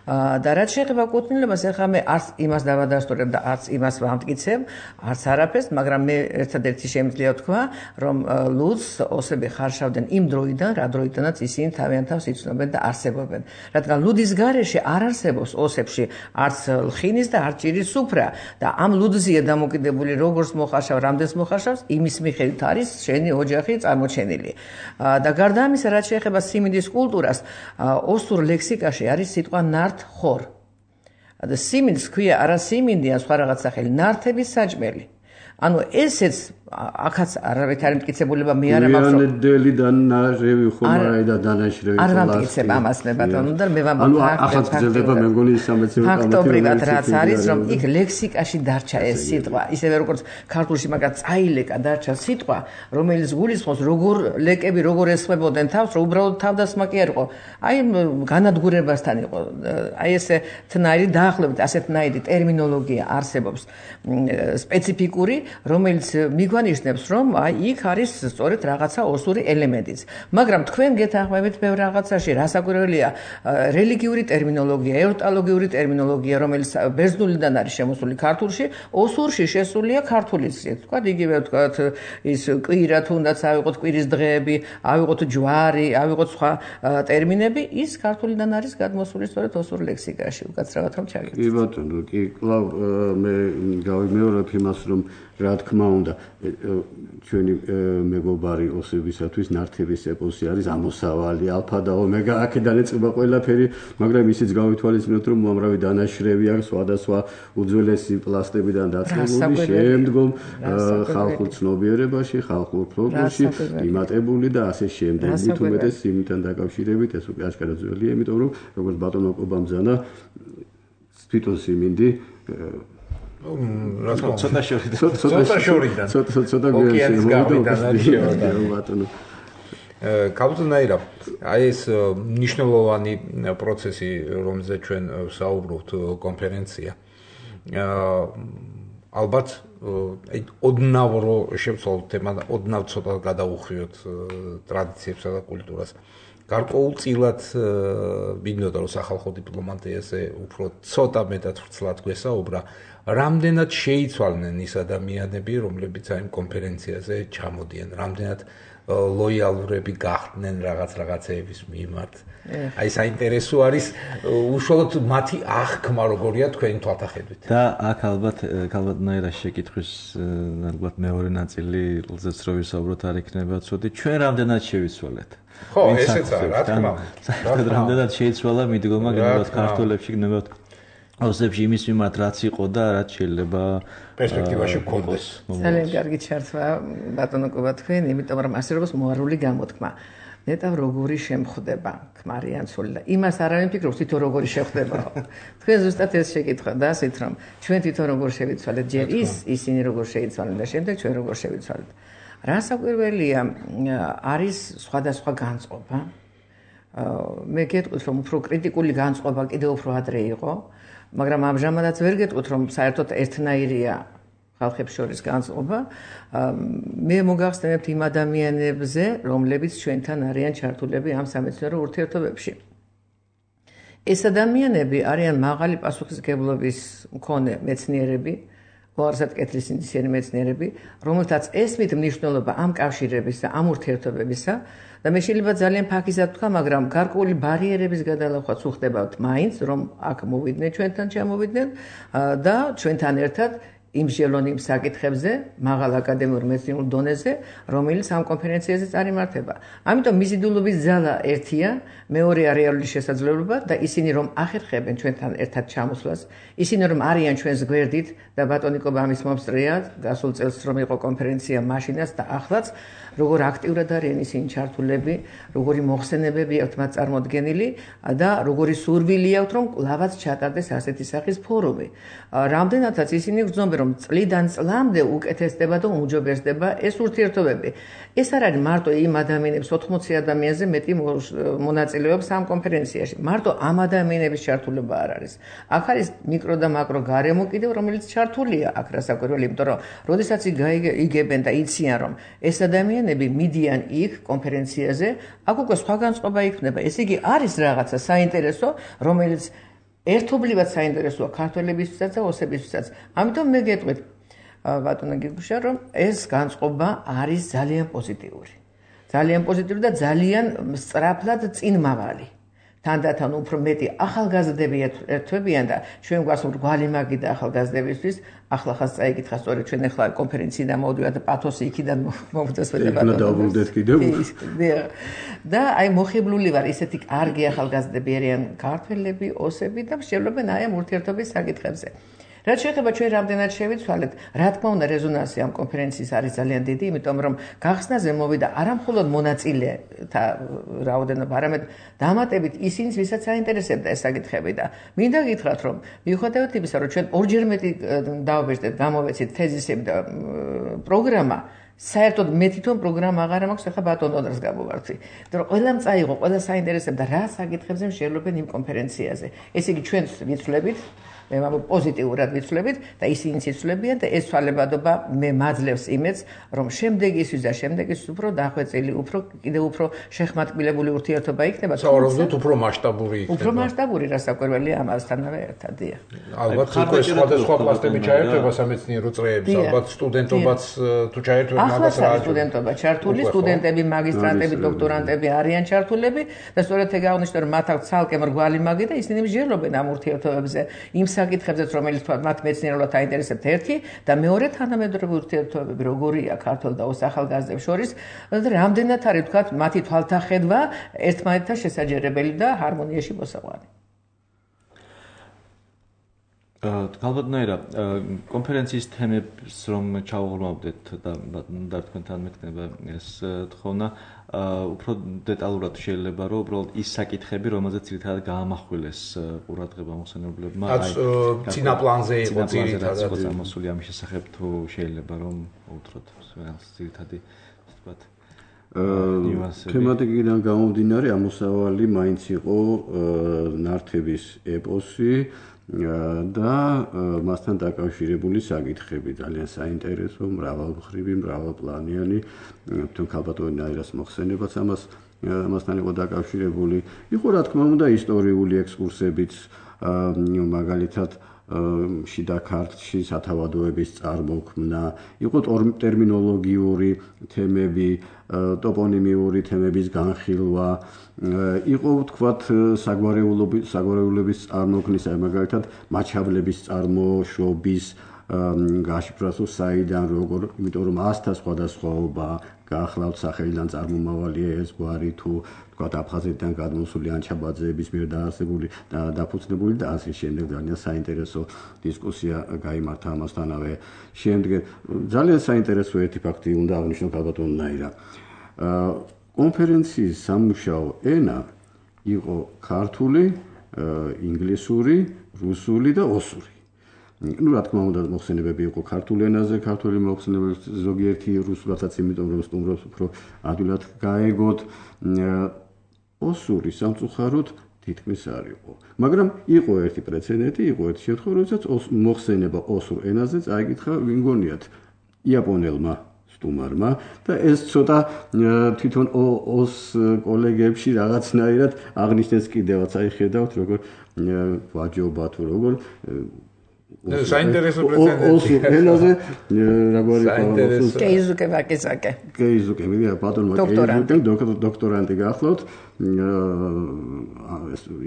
და რაც შეეხება კუთვნილებას, ახლა მე არც იმას დავადასტურებ და არც იმას ვამტკიცებ, არც არაფერს, მაგრამ მე ერთადერთი შემიძლია ვთქვა, რომ ლუდს ოსები ხარშავდნენ იმ დროიდან, რა დროიდანაც ისინი თავიანთ თავს იცნობენ და არსებობენ. რადგან ლუდის გარეშე არ არსებობს ოსებში არც ლხინის და არც ჭირის სუფრა და ამ ლუდზია დამოკიდებული როგორც მოხარშავ, რამდენს მოხარშავს, იმის მიხედვით არის შენი ოჯახი წარმოჩენილი. და გარდა ამისა, რაც შეეხება სიმინდის კულტურას, ოსურ ლექსიკაში არის სიტყვა ნართ ხორ. და სიმინდს ქვია არა სიმინდია სხვა რაღაც სახელი, ნართების საჭმელი. ანუ ესეც აქაც არავით არ მტკიცებულება მე არ მაქვს. მიანედელი და ნარევი ხომარაი და დანაშრევი არ ვამტკიცებ ამას მე ბატონო და მე ვამბობ ანუ ახაც გრძელდება მე მგონი სამეცნიერო კამათი. ფაქტობრივად რაც არის რომ იქ ლექსიკაში დარჩა ეს სიტყვა, ისევე როგორც ქართულში მაგა წაილეკა დარჩა სიტყვა, რომელიც გულისხმობს როგორ ლეკები როგორ ესხმებოდნენ თავს, რომ უბრალოდ თავდასხმა კი არ იყო. აი განადგურებასთან იყო. აი ესე თნაირი დაახლოებით ასეთნაირი ტერმინოლოგია არსებობს სპეციფიკური, რომელიც მიგანიშნებს რომ აი იქ არის სწორედ რაღაცა ოსური ელემენტიც. მაგრამ თქვენ გეთანხმებით ბევრ რაღაცაში, რასაკვირველია, რელიგიური ტერმინოლოგია, ევრტოლოგიური ტერმინოლოგია, რომელიც ბერძნულიდან არის შემოსული ქართულში, ოსურში შესულია ქართულის, თქვა იგივე თქვა ის კვირა თუნდაც ავიღოთ კვირის დღეები, ავიღოთ ჯვარი, ავიღოთ სხვა ტერმინები, ის ქართულიდან არის გადმოსული სწორედ ოსურ ლექსიკაში, უკაცრავად რომ ჩაგეთ. კი ბატონო, კი კლავ მე გავიმეორებ იმას რომ რა თქმა უნდა ჩვენი მეგობარი ოსებისათვის ნართების ეპოსი არის ამოსავალი ალფა და ომეგა აქედან ეწება ყველაფერი მაგრამ ისიც გავითვალისწინოთ რომ უამრავი დანაშრევი აქვს სხვადასხვა უძველესი პლასტებიდან დაწყებული შემდგომ ხალხურ ცნობიერებაში ხალხურ ფოლკლორში იმატებული და ასე შემდეგ მით უმეტეს იმთან დაკავშირებით ეს უკვე აშკარად ძველია იმიტომ რომ როგორც ბატონო კობამძანა თვითონ სიმინდი რა თქმა უნდა ცოტა შორიდან ცოტა შორიდან ცოტა ცოტა ოკეანის გავიდან არის ბატონო კაბუტნაირა აი ეს მნიშვნელოვანი პროცესი რომელზეც ჩვენ ვსაუბრობთ კონფერენცია ალბათ აი ოდნავ რო შევცვალოთ თემა ოდნავ ცოტა გადაუხვიოთ ტრადიციებსა და კულტურას გარკვეულწილად მინდოდა რომ სახალხო დიპლომატიაზე უფრო ცოტა მეტად ვრცლად გვესაუბრა რამდენად შეიცვალნენ ის ადამიანები რომლებიც აი კონფერენციაზე ჩამოდიან რამდენად ლოიალურები გახდნენ რაღაც რაღაცეების მიმართ აი საინტერესო არის უშუალოდ მათი აღქმა როგორია თქვენი თვალთახედვით და აქ ალბათ ალბათნაირად შეკითხვის ალბათ მეორე ნაწილი როდესაც რო ვისაუბროთ არ იქნება ცოტი ჩვენ რამდენად შევიცვალეთ ხო ესეც არა რა თქმა უნდა რამდენად შეიცვალა მიდგომა გნებავთ ქართულებში გნებავთ ოსებში იმის მიმართ რაც იყო და რაც შეიძლება პერსპექტივაში გქონდეს ძალიან კარგი ჩართვა ბატონო კობა თქვენ იმიტომ რომ ასე როგორც მოარული გამოთქმა ნეტავ როგორი შემხვდება ქმარიან ცოლი და იმას არ ამიფიქრობ თვითონ როგორი შეხვდება თქვენ ზუსტად ეს შეკითხვა და ასეთ რომ ჩვენ თვითონ როგორ შევიცვალეთ ჯერ ის ისინი როგორ შეიცვალენ და შემდეგ ჩვენ როგორ შევიცვალეთ რასაკვირველია არის სხვადასხვა განწყობა მე გეტყვით რომ უფრო კრიტიკული განწყობა კიდევ უფრო ადრე იყო მაგრამ ამჟამადაც ვერ გეტყვით რომ საერთოდ ერთნაირია ხალხებს შორის განწყობა მე მოგახსენებთ იმ ადამიანებზე რომლებიც ჩვენთან არიან ჩართულები ამ სამეცნიერო ურთიერთობებში ეს ადამიანები არიან მაღალი პასუხისმგებლობის მქონე მეცნიერები უარსად კეთილი სინდისიანი მეცნიერები რომელთაც ესმით მნიშვნელობა ამ კავშირებისა ამ ურთიერთობებისა და მე შეიძლება ძალიან ფაქიზად ვთქვა, მაგრამ გარკვეული ბარიერების გადალახვაც უხდებათ მაინც, რომ აქ მოვიდნენ ჩვენთან ჩამოვიდნენ და ჩვენთან ერთად იმსჯელონ იმ საკითხებზე, მაღალ აკადემიურ მეცნიერულ დონეზე, რომელიც ამ კონფერენციაზე წარიმართება. ამიტომ მიზიდულობის ძალა ერთია, მეორეა რეალური შესაძლებლობა და ისინი რომ ახერხებენ ჩვენთან ერთად ჩამოსვლას, ისინი რომ არიან ჩვენს გვერდით და ბატონიკობა ამის მომსწრეა, გასულ წელს რომ იყო კონფერენცია მაშინაც და ახლაც, როგორ აქტიურად არიან ისინი ჩართულები, როგორი მოხსენებები აქვთ მათ წარმოდგენილი და როგორი სურვილი აქვთ რომ კლავაც ჩატარდეს ასეთი სახის ფორუმი. რამდენადაც ისინი გრძნობენ რომ წლიდან წლამდე უკეთესდება და უმჯობესდება ეს ურთიერთობები. ეს არ არის მარტო იმ ადამიანებს ოთხმოცი ადამიანზე მეტი მონაწილეობს ამ კონფერენციაში. მარტო ამ ადამიანების ჩართულობა არ არის. აქ არის მიკრო და მაკრო გარემო კიდევ რომელიც ჩართულია აქ რასაკვირველი, იმიტომ რომ როდესაც იგებენ და იციან რომ ეს ადამიანები მიდიან იქ კონფერენციაზე, აქ უკვე სხვა განწყობა იქნება. ესე იგი არის რაღაცა საინტერესო, რომელიც ერთობლივად საინტერესოა ქართველებისთვისაც და ოსებისთვისაც. ამიტომ მე გეტყვით ბატონო გიგუშა რომ ეს განწყობა არის ძალიან პოზიტიური. ძალიან პოზიტიური და ძალიან სწრაფად წინმავალი. თანდათან უფრო მეტი ახალგაზრდები ერთვებიან და ჩვენ გვაქვს მრგვალი მაგი და ახალგაზრდებისთვის ახლა ხას წაიკითხა სწორედ ჩვენ ახლა კონფერენციიდან მოვიდივართ და პათოსი იქიდან მოვდას და დავბრუნდეთ კიდევ. და აი მოხიბლული ვარ ისეთი კარგი ახალგაზრდები არიან ქართველები, ოსები და მსჯელობენ აი ამ ურთიერთობის საკითხებზე. რაც შეეხება ჩვენ რამდენად შევიცვალეთ, რა თქმა უნდა რეზონანსი ამ კონფერენციის არის ძალიან დიდი, იმიტომ რომ გახსნაზე მოვიდა არა მხოლოდ მონაწილეთა რაოდენობა, არამედ დამატებით ისინი, ვისაც აინტერესებდა ეს საკითხები და მინდა გითხრათ, რომ მიუხედავად იმისა, რომ ჩვენ ორჯერ მეტი დავაბეჭდეთ, გამოვეცით თეზისები და პროგრამა, საერთოდ მე თვითონ პროგრამა აღარ მაქვს, ახლა ბატონ ონორს გამოვარდნი. იმიტომ რომ ყველამ წაიღო, ყველა საინტერესებდა რა საკითხებზე მსჯელობენ იმ კონფერენციაზე. ესე იგი ჩვენც ვიცვლებით მე პოზიტიურად ვიცვლებით და ისინი ციცვლებიან და ეს ცვალებადობა მე მაძლევს იმედს, რომ შემდეგისთვის და შემდეგისთვის უფრო დახვეწილი, უფრო კიდევ უფრო შეხმატკბილებული ურთიერთობა იქნება. სავარაუდოდ უფრო მასშტაბური იქნება. უფრო მასშტაბური რასაკვირველი ამასთანავე ერთად. ალბათ უკვე სხვადასხვა პლასტები ჩაერთვება სამეცნიერო წრეებს, ალბათ სტუდენტობაც თუ ჩაერთვება მაგას რა სტუდენტობა ჩართული, სტუდენტები, მაგისტრანტები, დოქტორანტები არიან ჩართულები და სწორედ ეგ აღნიშნე რომ მათ აქვს ცალკე მრგვალი მაგი და ისინი მსჯელობენ ამ ურთიერთობებზე. იმ საკითხებზეც რომელიც მათ მეცნიერულად აინტერესებთ ერთი და მეორე თანამედროვე ურთიერთობები როგორია ქართულ და ოს ახალგაზრდებს შორის და რამდენად არის თქვათ მათი თვალთახედვა ერთმანეთთან შესაჯერებელი და ჰარმონიაში მოსაყვანი. ალბათნაირად კონფერენციის თემებს რომ ჩავღრმავდეთ და და თქვენთან მექნება ეს თხოვნა უფრო დეტალურად შეიძლება რომ უბრალოდ ის საკითხები რომელზეც ძირითადად გაამახვილეს ყურადღება მოხსენებლებმა აი წინა პლანზე იყო ძირითადად ამოსული ამის შესახებ თუ შეიძლება რომ უთხროთ ძირითადი ვთქვათ თემატიკიდან გამომდინარე ამოსავალი მაინც იყო ნართების ეპოსი და მასთან დაკავშირებული საკითხები ძალიან საინტერესო, მრავალმხრივი, მრავალპლანიანი, თვითონ ქალბატონიას მოხსენებაც ამას ამასთან იყო დაკავშირებული. იყო რა თქმა უნდა ისტორიული ექსკურსებიც, მაგალითად შიდა ქართლში სათავადოების წარმოქმნა, იყო ტერმინოლოგიური თემები, ტოპონიმიური თემების განხილვა, იყო ვთქვათ საგვარეულობის საგვარეულების წარმოქმნის, მაგალითად მაჩაბლების წარმოშობის გაშიფრას საიდან როგორ, იმიტომ რომ ასთა სხვადასხვაობა გაახლავთ სახელიდან წარმომავალია ეს გვარი თუ ვთქვათ აფხაზეთიდან გადმოსული ანჩაბაძეების მიერ დაარსებული და დაფუძნებული და ასე შემდეგ ძალიან საინტერესო დისკუსია გაიმართა ამასთანავე. შემდეგ ძალიან საინტერესო ერთი ფაქტი უნდა აღნიშნო ქალბატონნაირა. კონფერენციის სამუშაო ენა იყო ქართული, ინგლისური, რუსული და ოსური. ну რა თქმა უნდა მოხსენებები იყო ქართულ ენაზე, ქართული მოხსენებები ზოგიერთი რუსულადაც, იმიტომ რომ სტუმრობს უფრო ადვილად გაეგოთ. ოსური სამწუხაროდ თითქმის არ იყო. მაგრამ იყო ერთი პრეცედენტი, იყო ერთი შემთხვევა, როდესაც მოხსენება ოსურ ენაზე წაიკითხა ვინგონიათ იაპონელმა სტუმარმა და ეს ცოტა თვითონ ოს კოლეგებში რაღაცნაირად აღნიშნეს კიდევაც, აი ხედავთ როგორ ვაჯობა თუ როგორ საინტერესო პრეცედენტი. ოსურ ენაზე რაგვარი საინტერესო. კეიზუკე ვაკისაკე. კეიზუკე, მე ბატონმა კეიზუკე დოქტორანტი გახლავთ.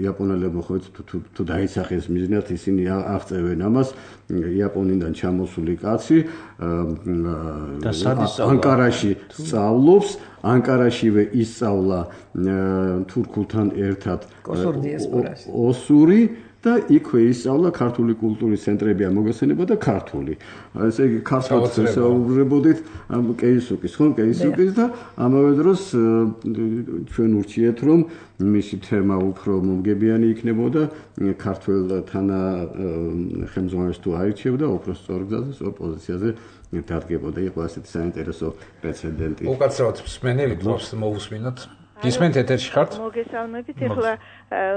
იაპონელებო ხო თუ თუ დაისახეს მიზნად ისინი აღწევენ ამას იაპონიდან ჩამოსული კაცი ანკარაში სწავლობს ანკარაშივე ისწავლა თურქულთან ერთად ოსური და იქვე ისწავლა ქართული კულტურის ცენტრებია მოგესწრება და ქართული. ესე იგი ქართულად ვესაუბრებოდით ამ კეისუკის, ხო, კეისუკის და ამავე დროს ჩვენ ურჩიეთ რომ მისი თემა უფრო მომგებიანი იქნებოდა ქართველთან ხელმძღვანელს თუ აირჩევდა, უფრო სწორ გზაზე, სწორ პოზიციაზე დადგებოდა. იყო ასეთი საინტერესო პრეცედენტი. უკაცრავად მსმენელი გლოვს მოусმინოთ. გისმენთ ეთერში ხართ? მოგესალმებით. ეხლა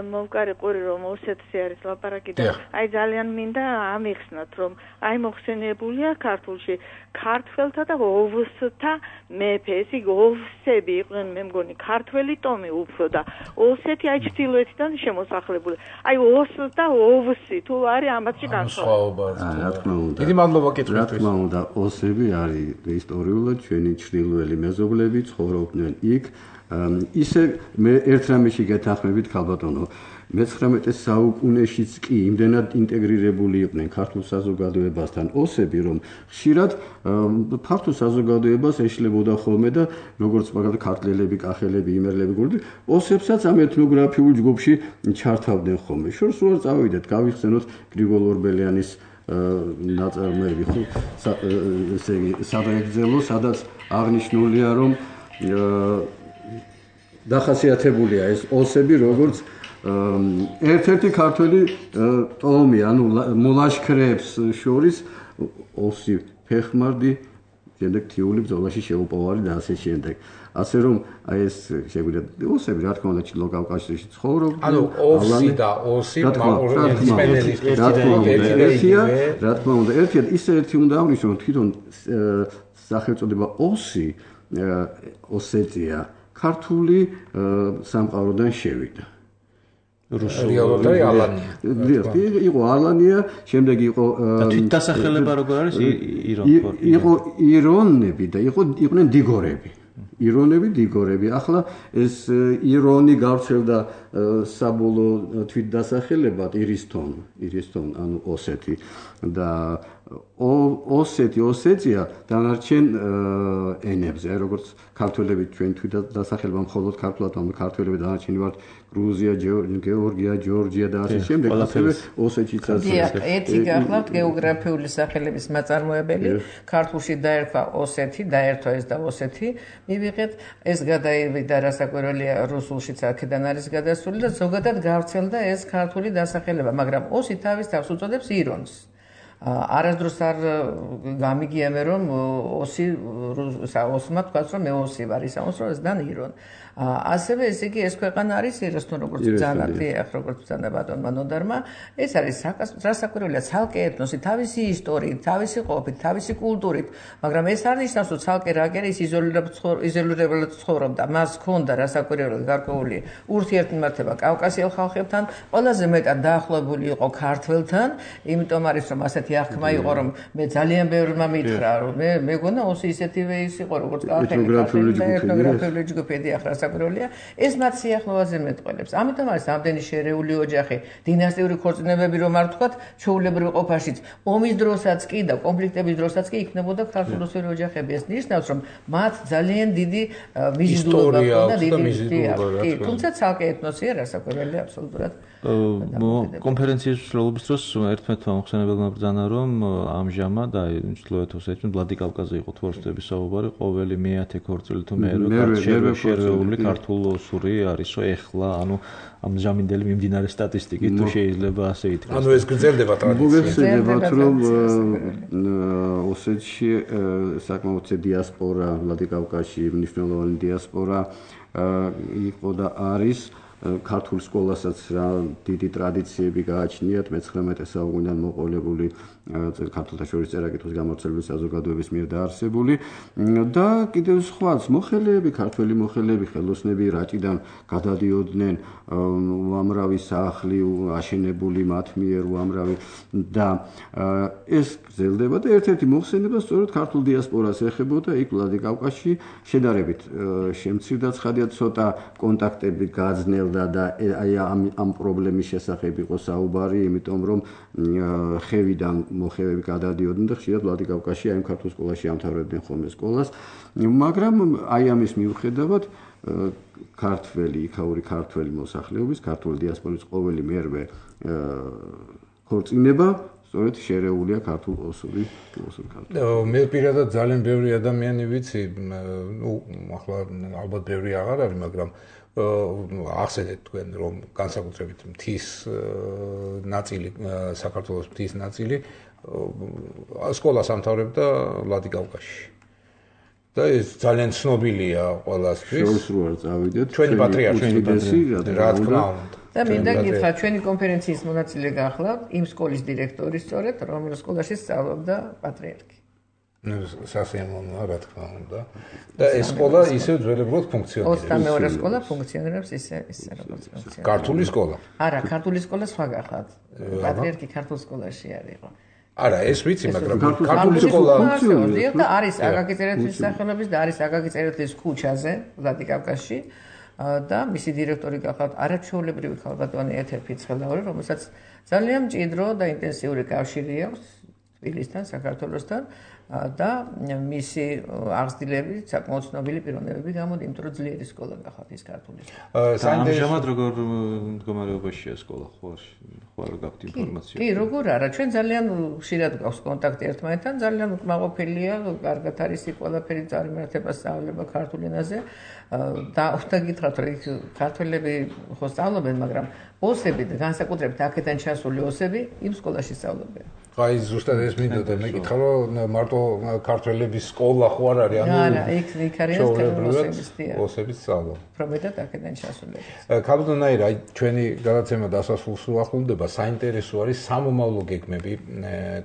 მოვკარი ყური რომ ოსეთში არის ლაპარაკი და აი ძალიან მინდა ამიხსნათ რომ აი მოხსენებულია ქართულში ქართველთა და ოვსთა მეფე. ეს იგი ოვსები იყვნენ მე მგონი ქართველი ტომი უფრო და ოსეთი აი ჩრდილოეთიდან შემოსახლებული. აი ოს და ოვსი თუ არის ამათში განსხვავება. რა თქმა უნდა. დიდი მადლობა კითხვისთვის. რა თქმა უნდა ოსები არის ისტორიულად ჩვენი ჩრდილოელი მეზობლები ცხოვრობდნენ იქ. ისე მე ერთ რამეში გეთანხმებით ქალბატონო მეცხრამეტე საუკუნეშიც კი იმდენად ინტეგრირებული იყვნენ ქართულ საზოგადოებასთან ოსები რომ ხშირად ფართო საზოგადოებას ეშლებოდა ხოლმე და როგორც მაგალითად ქართველები, კახელები, იმერლები, გურდი ოსებსაც ამ ეთნოგრაფიულ ჯგუფში ჩართავდნენ ხოლმე. შორს უარ წავიდეთ, გავიხსენოთ გრიგოლ ორბელიანის ნაწარმოები ხო ესე იგი სადღეგრძელო, სადაც აღნიშნულია რომ დახასიათებულია ეს ოსები როგორც ერთ-ერთი ქართველი ტომი, ანუ მოლაშქრეებს შორის ოსი ფეხმარდი, შემდეგ თიული ბრძოლაში შეუპოვარი და ასე შემდეგ. ასე რომ აი ეს შეგვიძლია ოსები რა თქმა უნდა ჩილო კავკასიაში ცხოვრობდნენ. ანუ ოსი და ოსი მაგორიანის ერთია, რა თქმა უნდა, ერთია ისე ერთი უნდა აღნიშნოთ თვითონ სახელწოდება ოსი ოსეტია ქართული სამყაროდან შევიდა. რუსული ალანია. იყო ალანია, შემდეგ იყო და თვითდასახელება როგორ არის იყო ირონები და იყო იყვნენ დიგორები. ირონები, დიგორები. ახლა ეს ირონი გავრცელდა საბოლოო თვითდასახელებად ირისთონ, ირისთონ, ანუ ოსეთი და ოსეთი, ოსეტია დანარჩენ ენებზე, როგორც ქართველები ჩვენ თვითდასახელება მხოლოდ ქართულად, ანუ ქართველები დანარჩენი ვართ გრუზია, გეორგია, ჯორჯია და ასე შემდეგ, ასევე ოსეთიც ასე. ერთი გახლავთ გეოგრაფიული სახელების მაწარმოებელი, ქართულში დაერქვა ოსეთი, დაერთვა ეს და ოსეთი, მივიღეთ, ეს გადაივიდა რასაკვირველია რუსულშიც აქედან არის გადასული და ზოგადად გავრცელდა ეს ქართული დასახელება, მაგრამ ოსი თავის თავს უწოდებს ირონს. არასდროს არ გამიგია მე რომ ოსი ოსმა თქვა რომ მე ოსი ვარ ისაუნს რომ ეს დან ირონ ასევე ესე იგი ეს ქვეყანა არის ერასთან როგორც ძალათი ახ როგორც ბრძანა ბატონმა ნოდარმა ეს არის რასაკვირველია ცალკე ეთნოსი თავისი ისტორიით თავისი ყოფით თავისი კულტურით მაგრამ ეს არ ნიშნავს რომ ცალკე რაგერი ის იზოლირებულად ცხოვრობდა მას ჰქონდა რასაკვირველია გარკვეული ურთიერთმართება კავკასიელ ხალხებთან ყველაზე მეტად დაახლოებული იყო ქართველთან იმიტომ არის რომ ასეთი აღქმა იყო რომ მე ძალიან ბევრმა მითხრა რომ მე მეგონა ოსი ისეთივე ის იყო როგორც ეთნოგრაფიული ჯგუფი ახლა რასაკვირველია ეს მათ სიახლოვეზე მეტყველებს ამიტომ არის ამდენი შერეული ოჯახი დინასტიური ქორწინებები რომ არ ვთქვათ ჩვეულებრივ ყოფაშიც ომის დროსაც კი და კონფლიქტების drosats კი იქნებოდა ქართულ-რუსული ოჯახები ეს ნიშნავს რომ მათ ძალიან დიდი მიზიდულობა ჰქონდა დიდი თუმცა ცალკე ეთნოსია რასაკვირველია აბსოლუტურად კონფერენციის მსვლელობის დროს ერთმანეთმა მოხსენებელმა ბრძანა რომ ამჟამად აი ჩრდილოეთ ოსეთში ვლადიკავკაზე იყო თორსტების საუბარი ყოველი მეათე ქორწილი თუ მეერვე შერეული ქართულ-ოსური არისო ეხლა ანუ ამჟამინდელი მიმდინარე სტატისტიკით თუ შეიძლება ასე ითქვას ანუ ეს გრძელდება ტრადიცია მოგეხსენებათ რომ ოსეთში საკმაოდ დიასპორა ვლადიკავკაზში მნიშვნელოვანი დიასპორა იყო და არის ქართულ სკოლასაც რა დიდი ტრადიციები გააჩნიათ მეცხრამეტე საუკუნიდან მოყოლებული ქართულთა შორის წერა-კითხვის გამავრცელების საზოგადოების მიერ დაარსებული და კიდევ სხვაც მოხელეები, ქართველი მოხელეები, ხელოსნები რაჭიდან გადადიოდნენ უამრავი სახლი აშენებული მათ მიერ უამრავი და ეს გრძელდება და ერთ-ერთი მოხსენება სწორედ ქართულ დიასპორას ეხებოდა იქ ვლადიკავკაზში შედარებით შემცირდა ცხადია ცოტა კონტაქტები გაძნელდა და აი ამ ამ პრობლემის შესახებ იყო საუბარი, იმიტომ რომ ხევიდან მოხევები გადადიოდნენ და ხშირად ვლადიკავკაზში აი ქართულ სკოლაში ამთავრებდნენ ხოლმე სკოლას, მაგრამ აი ამის მიუხედავად ქართველი, იქაური ქართველი მოსახლეობის, ქართული დიასპორის ყოველი მერვე ქორწინება სწორედ შერეულია ქართულ ოსური ოსურ ქართულ. მე პირადად ძალიან ბევრი ადამიანი ვიცი, ნუ ახლა ალბათ ბევრი აღარ არის, მაგრამ ახსენეთ თქვენ რომ განსაკუთრებით მთის ნაწილი საქართველოს მთის ნაწილი სკოლას ამთავრებდა ვლადიკავკაზში. და ეს ძალიან ცნობილია ყველასთვის. შორს რო არ წავიდეთ. ჩვენი პატრიარქი, ჩვენი პატრიარქი, რა თქმა უნდა. და მინდა გითხრათ, ჩვენი კონფერენციის მონაწილე გახლავთ იმ სკოლის დირექტორი სწორედ, რომელიც სკოლაში სწავლობდა პატრიარქი. ნუ სასიამოვნოა, რა თქმა უნდა. და ეს სკოლა ისევ ძველებურად ფუნქციონირებს. ოცდამეორე სკოლა ფუნქციონირებს ისე ისე როგორც ფუნქციონირებს. ქართული სკოლა. არა, ქართული სკოლა სხვა გახლავთ. პატრიარქი ქართულ სკოლაში არისო. არა, ეს ვიცი, მაგრამ ქართული სკოლა ფუნქციონირებს და არის აკაკი წერეთლის სახელობის და არის აკაკი წერეთლის ქუჩაზე, ვლადიკავკაზში. და მისი დირექტორი გახლავთ არაჩვეულებრივი ქალბატონი ეთერ ფიცხელაური, რომელსაც ძალიან მჭიდრო და ინტენსიური კავშირი აქვს თბილისთან, საქართველოსთან და მისი აღზრდილები საკმაოდ ცნობილი პიროვნებები გამოდი, იმიტომ რომ ძლიერი სკოლა გახლავთ ის ქართული სკოლა. საინტერესოდ როგორ მდგომარეობაშია სკოლა, ხო არ გაქვთ ინფორმაცია? კი, როგორ არა, ჩვენ ძალიან ხშირად გვაქვს კონტაქტი ერთმანეთთან, ძალიან უკმაყოფილია, კარგად არის იქ ყველაფერი წარიმართება, სწავლება ქართულ ენაზე. და უნდა გითხრათ, რომ იქ ქართველები ხო სწავლობენ, მაგრამ ოსები და განსაკუთრებით აქედან ჩასული ოსები იმ სკოლაში სწავლობენ. აი ზუსტად ეს მინდოდა მეკითხა, რომ მარტო ქართველების სკოლა ხო არ არის, ანუ არა, იქ იქ არის ოსების სწავლა. პრომეტად აქედან ჩასულები. ქალბატონაირ, აი ჩვენი გადაცემა დასასრულს უახლოვდება, საინტერესო არის სამომავლო გეგმები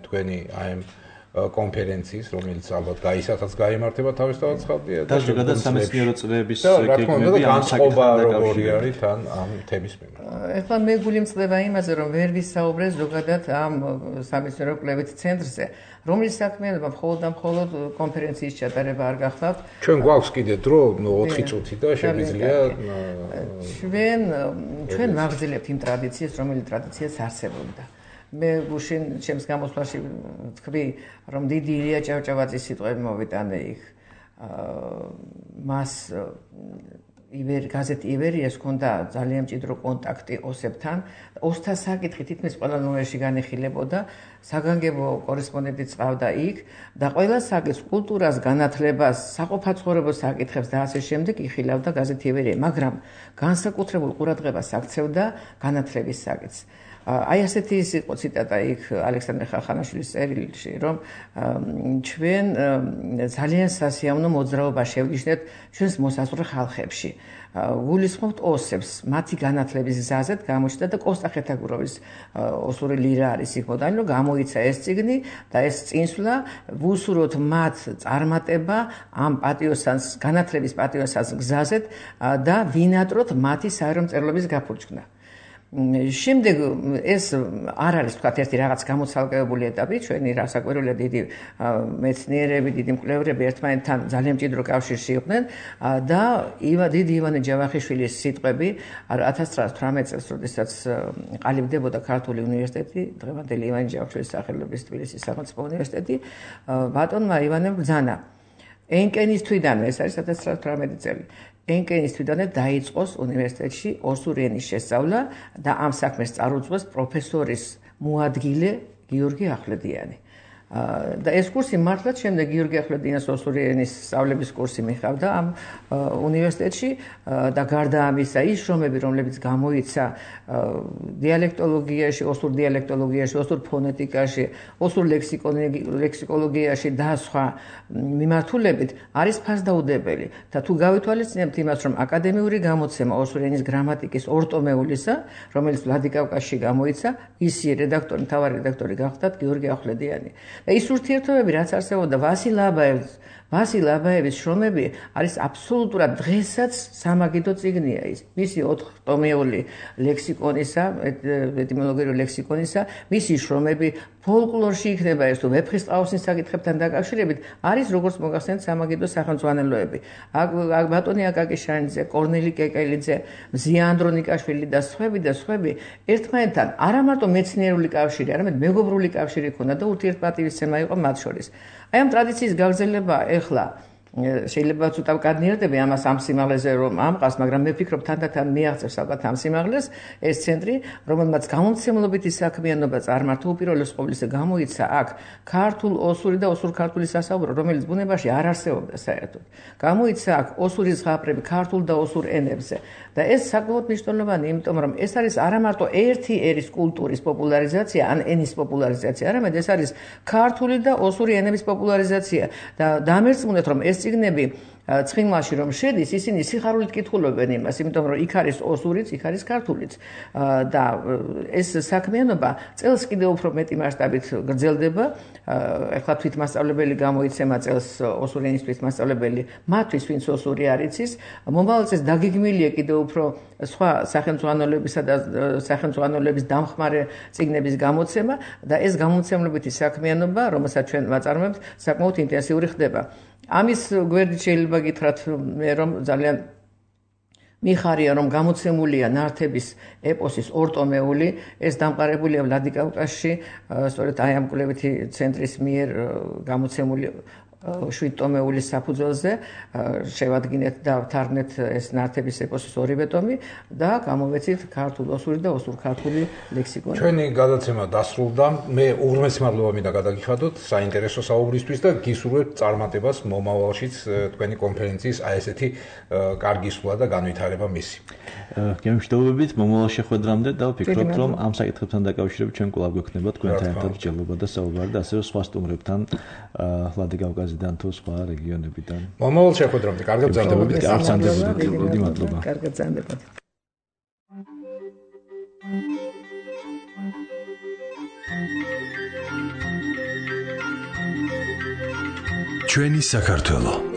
თქვენი აი ამ კონფერენციის, რომელიც ალბათ გაისახაც გაიმართება თავისთავად ხალხია და ზოგადად სამეცნიერო წრეების გეგმები ამ საკითხთან როგორი არის თან ამ თემის მიმართ. ეხლა მე გულიმწყდება იმაზე, რომ ვერ ვისაუბრე ზოგადად ამ სამეცნიერო კვლევით ცენტრზე, რომლის საქმიანობა მხოლოდ და მხოლოდ კონფერენციის ჩატარება არ გახლავთ. ჩვენ გვაქვს კიდე დრო ოთხი წუთი და შეგვიძლია ჩვენ ჩვენ ვაგრძელებთ იმ ტრადიციას, რომელიც ტრადიციას არსებობდა. მე გუშინ ჩემს გამოსვლაში თქვი, რომ დიდი ილია ჭავჭავაძის სიტყვები მოვიტანე იქ. მას ივერი გაზეთი ივერიას ჰქონდა ძალიან მჭიდრო კონტაქტი ოსებთან. ოსთა საკითხი თითქმის ყველა ნომერში განიხილებოდა, საგანგებო კორესპონდენტიც ყავდა იქ და ყველა საკითხს, კულტურას, განათლებას, საყოფაცხოვრებო საკითხებს და ასე შემდეგ იხილავდა გაზეთი ივერია, მაგრამ განსაკუთრებულ ყურადღებას აქცევდა განათლების საკითხს. აი ასეთი ის იყო ციტატა იქ ალექსანდრე ხახანაშვილის წერილში, რომ ჩვენ ძალიან სასიამოვნო მოძრაობა შევგიშნეთ ჩვენს მოსაზღვრე ხალხებში. გულისხმობთ ოსებს, მათი განათლების გზაზეთ გამოჩნდა და კოსტა ხეთაგუროვის ოსური ლირა არის იქ მოდანი, რომ გამოიცა ეს წიგნი და ეს წინსვლა ვუსურვოთ მათ წარმატება ამ პატიოსანს, განათლების პატიოსანს გზაზეთ და ვინატროთ მათი საერო მწერლობის გაფურჩქნა. შემდეგ ეს არ არის თქვათ ერთი რაღაც გამოცალკევებული ეტაპი, ჩვენი რასაკვირველია დიდი მეცნიერები, დიდი მკვლევრები ერთმანეთთან ძალიან მჭიდრო კავშირში იყვნენ და დიდი ივანე ჯავახიშვილის სიტყვები ათას ცხრაათასი წელს, როდესაც ყალიბდებოდა ქართული უნივერსიტეტი, დღევანდელი ივანე ჯავახიშვილის სახელობის თბილისის სახელმწიფო უნივერსიტეტი, ბატონმა ივანემ ბრძანა ენკენის თვიდან, ეს არის ათას ცხრაათასი წელი. ენკენის თვიდანვე დაიწყოს უნივერსიტეტში ოსური ენის შესწავლა და ამ საქმეს წარუძღვეს პროფესორის მოადგილე გიორგი ახვლედიანი. და ეს კურსი მართლაც შემდეგ გიორგი ახვლედიანის ოსური ენის სწავლების კურსი მიხავდა ამ უნივერსიტეტში და გარდა ამისა ის შრომები, რომლებიც გამოიცა დიალექტოლოგიაში, ოსურ დიალექტოლოგიაში, ოსურ ფონეტიკაში, ოსურ ლექსიკოლოგიაში და სხვა მიმართულებით არის ფასდაუდებელი და თუ გავითვალისწინებთ იმას, რომ აკადემიური გამოცემა ოსური ენის გრამატიკის ორტომეულისა, რომელიც ვლადიკავკაზში გამოიცა, ისი რედაქტორი, მთავარი რედაქტორი გახდათ გიორგი ახვლედიანი. და ის ურთიერთობები, რაც არსებობდა ვასილ აბაევს, ვასილ აბაევის შრომები არის აბსოლუტურად დღესაც სამაგიდო წიგნია ის. მისი ოთხტომეული ლექსიკონისა, ეტიმოლოგიური ლექსიკონისა, მისი შრომები ფოლკლორში იქნება ეს თუ ვეფხისტყაოსნის საკითხებთან დაკავშირებით არის როგორც მოგახსენეთ სამაგიდო სახელმძღვანელოები. აქ ბატონი აკაკი შანიძე, კორნელი კეკელიძე, მზია ანდრონიკაშვილი და სხვები და სხვები ერთმანეთთან არა მარტო მეცნიერული კავშირი, არამედ მეგობრული კავშირი ჰქონდა და ურთიერთპატივისცემა იყო მათ შორის. აი ამ ტრადიციის გაგრძელება ეხლა შეიძლება ცოტა ვკადნიერდები ამას ამ სიმაღლეზე რომ ამყავს, მაგრამ მე ვფიქრობ თანდათან მიაღწევს ალბათ ამ სიმაღლეს ეს ცენტრი, რომელმაც გამომცემლობითი საქმიანობა წარმართა უპირველეს ყოვლისა გამოიცა აქ ქართულ ოსური და ოსურ-ქართული სასაუბრო, რომელიც ბუნებაში არ არსებობდა საერთოდ. გამოიცა აქ ოსური ზღაპრები ქართულ და ოსურ ენებზე და ეს საკმაოდ მნიშვნელოვანი, იმიტომ რომ ეს არის არა მარტო ერთი ერის კულტურის პოპულარიზაცია, ან ენის პოპულარიზაცია, არამედ ეს არის ქართული და ოსური ენების პოპულარიზაცია და დამერწმუნეთ რომ ეს წიგნები ცხინვალში რომ შედის, ისინი სიხარულით კითხულობენ იმას, იმიტომ რომ იქ არის ოსურიც, იქ არის ქართულიც და ეს საქმიანობა წელს კიდევ უფრო მეტი მასშტაბით გრძელდება. ეხლა თვითმასწავლებელი გამოიცემა წელს ოსური ენის თვითმასწავლებელი მათთვის, ვინც ოსური არ იცის. მომავალ წელს დაგეგმილია კიდევ უფრო სხვა სახელმძღვანელოებისა და სახელმძღვანელოების დამხმარე წიგნების გამოცემა და ეს გამომცემლობითი საქმიანობა, რომელსაც ჩვენ ვაწარმოებთ, საკმაოდ ინტენსიური ხდება. ამის გვერდით შეიძლება გითხრათ მე რომ ძალიან მიხარია რომ გამოცემულია ნართების ეპოსის ორტომეული, ეს დამყარებულია ვლადიკავკაზში, სწორედ აი ამ კვლევითი ცენტრის მიერ გამოცემული შვიდტომეული საფუძველზე შევადგინეთ და ვთარგმნეთ ეს ნართების ეპოსის ორივე ტომი და გამოვეცით ქართულ ოსური და ოსურ-ქართული ლექსიკონი. ჩვენი გადაცემა დასრულდა. მე უღრმესი მადლობა მინდა გადაგიხადოთ საინტერესო საუბრისთვის და გისურვებთ წარმატებას მომავალშიც თქვენი კონფერენციის აი ესეთი კარგი სვლა და განვითარება მისი. გემშვიდობებით მომავალ შეხვედრამდე და ვფიქრობთ რომ ამ საკითხებთან დაკავშირებით ჩვენ კვლავ გვექნება თქვენთან ერთად მსჯელობა და საუბარი და ასევე სხვა სტუმრებთან ვლადიკავკაზიდან თუ სხვა რეგიონებიდან. მომავალ შეხვედრამდე კარგად გრძელდებოდეთ. კარგად გრძელდებოდეთ. მადლობა. კარგად გრძელდებოდეთ. ჩვენი საქართველო